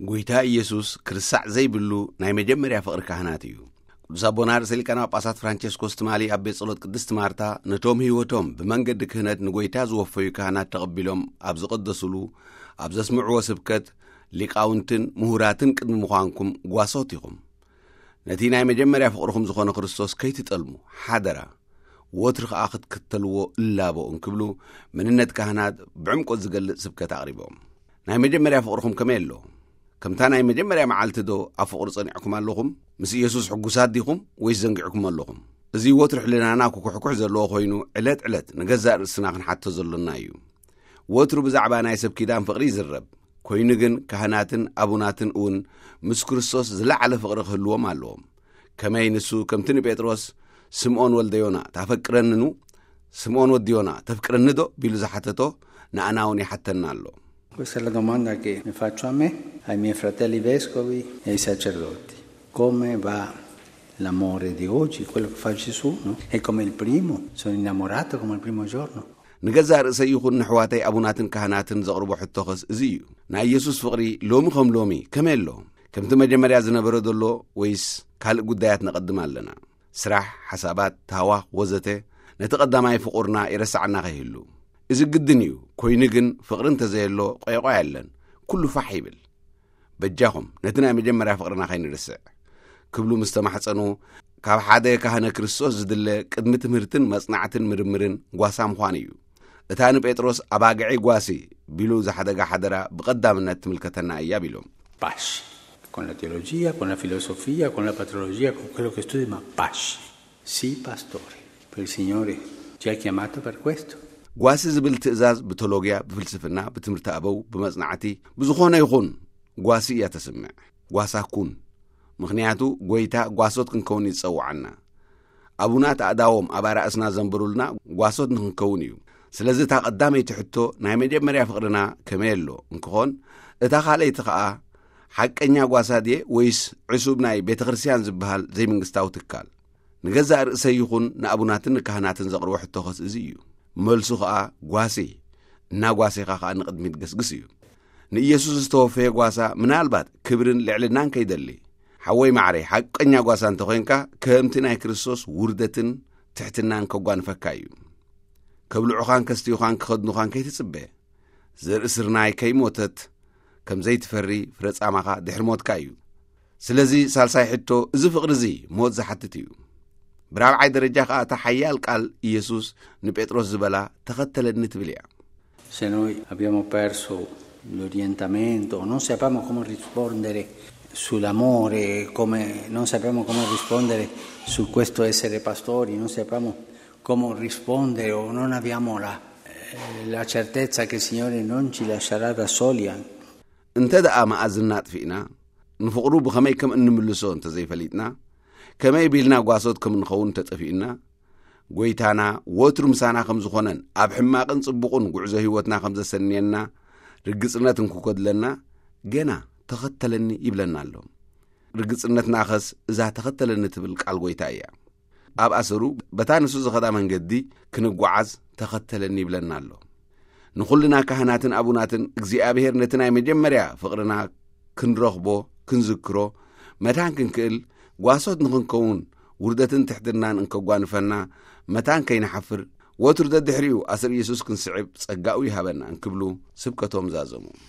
ጎይታ ኢየሱስ ክርሳዕ ዘይብሉ ናይ መጀመርያ ፍቕሪ ካህናት እዩ። ቅዱስ ኣቦና ርእሰ ሊቃነ ጳጳሳት ፍራንቸስኮስ ትማሊ ኣብ ቤት ጸሎት ቅድስት ማርታ ነቶም ህይወቶም ብመንገዲ ክህነት ንጎይታ ዝወፈዩ ካህናት ተቐቢሎም ኣብ ዝቐደሱሉ፣ ኣብ ዘስምዕዎ ስብከት፣ ሊቃውንትን ምሁራትን ቅድሚ ምዃንኩም ጓሶት ኢኹም። ነቲ ናይ መጀመርያ ፍቕርኹም ዝኾነ ክርስቶስ ከይትጠልሙ ሓደራ፣ ወትሪ ኸኣ ክትክተልዎ እላቦ እንክብሉ፣ መንነት ካህናት ብዕምቆት ዝገልጽ ስብከት ኣቕሪቦም። ናይ መጀመርያ ፍቕርኹም ከመይ ኣሎ? ከምታ ናይ መጀመርያ መዓልቲ ዶ ኣብ ፍቕሪ ጸኒዕኩም ኣለኹም? ምስ ኢየሱስ ሕጉሳት ዲኹም ወይስ ዘንጊዕኩም ኣለኹም? እዚ ወትሪ ሕልናና ክኩሕኩሕ ዘለዎ ኮይኑ፣ ዕለት ዕለት ንገዛእ ርእስና ክንሓቶ ዘሎና እዩ። ወትሩ ብዛዕባ ናይ ሰብ ኪዳን ፍቕሪ ይዝረብ ኮይኑ ግን፣ ካህናትን ኣቡናትን እውን ምስ ክርስቶስ ዝለዓለ ፍቕሪ ክህልዎም ኣለዎም። ከመይ ንሱ ከምቲ ንጴጥሮስ፣ "ስምዖን ወልደ ዮና፣ ታፈቅረንኑ? ስምዖን ወዲ ዮና፣ ተፍቅረኒ ዶ?" ቢሉ ዝሓተቶ፣ ንኣና እውን ይሓተና ኣሎ። Questa è la domanda che mi faccio a me, ai miei fratelli vescovi e ai sacerdoti. Come va l'amore di oggi, quello che fa Gesù, no? È come il primo, sono innamorato come il primo giorno. ንገዛእ ርእሰይ ይኹን ንሕዋተይ ኣቡናትን ካህናትን ዘቕርቦ ሕቶኸስ እዚ እዩ። ናይ ኢየሱስ ፍቕሪ ሎሚ ከም ሎሚ ከመይ ኣሎ? ከምቲ መጀመርያ ዝነበረ ዘሎ ወይስ ካልእ ጉዳያት ነቐድም ኣለና? ስራሕ፣ ሓሳባት፣ ታህዋኽ ወዘተ ነቲ ቀዳማይ ፍቑርና ይረስዓና ከይህሉ። እዚ ግድን እዩ። ኮይኑ ግን ፍቕሪ እንተዘየሎ ቆይቆይ ኣለን። ኩሉ ፋሕ ይብል። በጃኹም ነቲ ናይ መጀመርያ ፍቕርና ከይንርስዕ ክብሉ ምስ ተማሕጸኑ፣ ካብ ሓደ ካህነ ክርስቶስ ዝድለ ቅድሚ ትምህርትን መጽናዕትን ምርምርን ጓሳ ምዃን እዩ። እታ ንጴጥሮስ ኣባግዒ ጓሲ ቢሉ ዝሓደጋ ሓደራ ብቐዳምነት ትምልከተና እያ ቢሎም። Pace. Con la teologia, con la filosofia, con la patrologia, con quello che studi, ma pace. Sii pastore. Per il Signore ci ha chiamato per questo. ጓሲ ዝብል ትእዛዝ ብቴሎጊያ፣ ብፍልስፍና፣ ብትምህርቲ ኣበው፣ ብመጽናዕቲ፣ ብዝኾነ ይኹን ጓሲ እያ ተስምዕ። ጓሳ ኩን። ምኽንያቱ ጎይታ ጓሶት ክንከውን ይጸውዓና። ኣቡናት ኣእዳዎም ኣብ ኣራእስና ዘንብሩልና ጓሶት ንኽንከውን እዩ። ስለዚ እታ ቀዳመይቲ ሕቶ ናይ መጀመርያ ፍቕርና ከመይ ኣሎ እንክኾን፣ እታ ካልኣይቲ ኸኣ ሓቀኛ ጓሳ ድየ ወይስ ዕሱብ ናይ ቤተ ክርስቲያን ዝበሃል ዘይመንግስታዊ ትካል? ንገዛእ ርእሰይ ይኹን ንኣቡናትን ንካህናትን ዘቕርቦ ሕቶኸስ እዚ እዩ። መልሱ ኸኣ ጓሲ፣ እናጓሴኻ ኸኣ ንቕድሚት ገስግስ እዩ። ንኢየሱስ ዝተወፈየ ጓሳ ምናልባት ክብርን ልዕልናን ከይደሊ፣ ሓወይ ማዕረይ፣ ሓቀኛ ጓሳ እንተኾይንካ፣ ከምቲ ናይ ክርስቶስ ውርደትን ትሕትናን ከጓንፈካ እዩ። ከብልዑኻን ከስትዩኻን ክኸድኑኻን ከይትጽበ። ዘርኢ ስርናይ ከይሞተት ከም ዘይትፈሪ ፍረ ጻማኻ ድሕሪ ሞትካ እዩ። ስለዚ ሳልሳይ ሕቶ፣ እዚ ፍቕሪ እዚ ሞት ዝሓትት እዩ። ብራብዓይ ደረጃ ኸኣ እታ ሓያል ቃል ኢየሱስ ንጴጥሮስ ዝበላ፣ "ተኸተለኒ" ትብል እያ። Se noi abbiamo perso l'orientamento, non sappiamo come rispondere sull'amore, come, non sappiamo come rispondere su questo essere pastori, non sappiamo come rispondere o non abbiamo la, eh, la certezza che il Signore non ci lascerà da soli. እንተ ደኣ መኣዝና ኣጥፊእና፣ ንፍቕሩ ብኸመይ ከም እንምልሶ እንተ ዘይፈሊጥና፣ ከመይ ቢልና ጓሶት ከም ንኸውን ተጠፊኡና፣ ጎይታና ወትሩ ምሳና ከም ዝኾነን ኣብ ሕማቕን ጽቡቕን ጉዕዞ ህይወትና ከም ዘሰንየና ርግጽነት እንክጎድለና፣ ገና "ተኸተለኒ" ይብለና ኣሎ። ርግጽነትናኸስ እዛ "ተኸተለኒ" ትብል ቃል ጎይታ እያ። ኣብ ኣሰሩ በታ ንሱ ዝኸዳ መንገዲ ክንጓዓዝ "ተኸተለኒ" ይብለና ኣሎ። ንኹልና ካህናትን ኣቡናትን እግዚኣብሔር ነቲ ናይ መጀመርያ ፍቕርና ክንረኽቦ፣ ክንዝክሮ፣ መታን ክንክእል፣ ጓሶት ንኽንከውን፣ ውርደትን ትሕትናን እንከጓንፈና፣ መታን ከይንሓፍር፣ ወትሩ ደድሕሪኡ ኣሰር ኢየሱስ ክንስዕብ ጸጋኡ ይሃበና እንክብሉ ስብከቶም ዛዘሙ።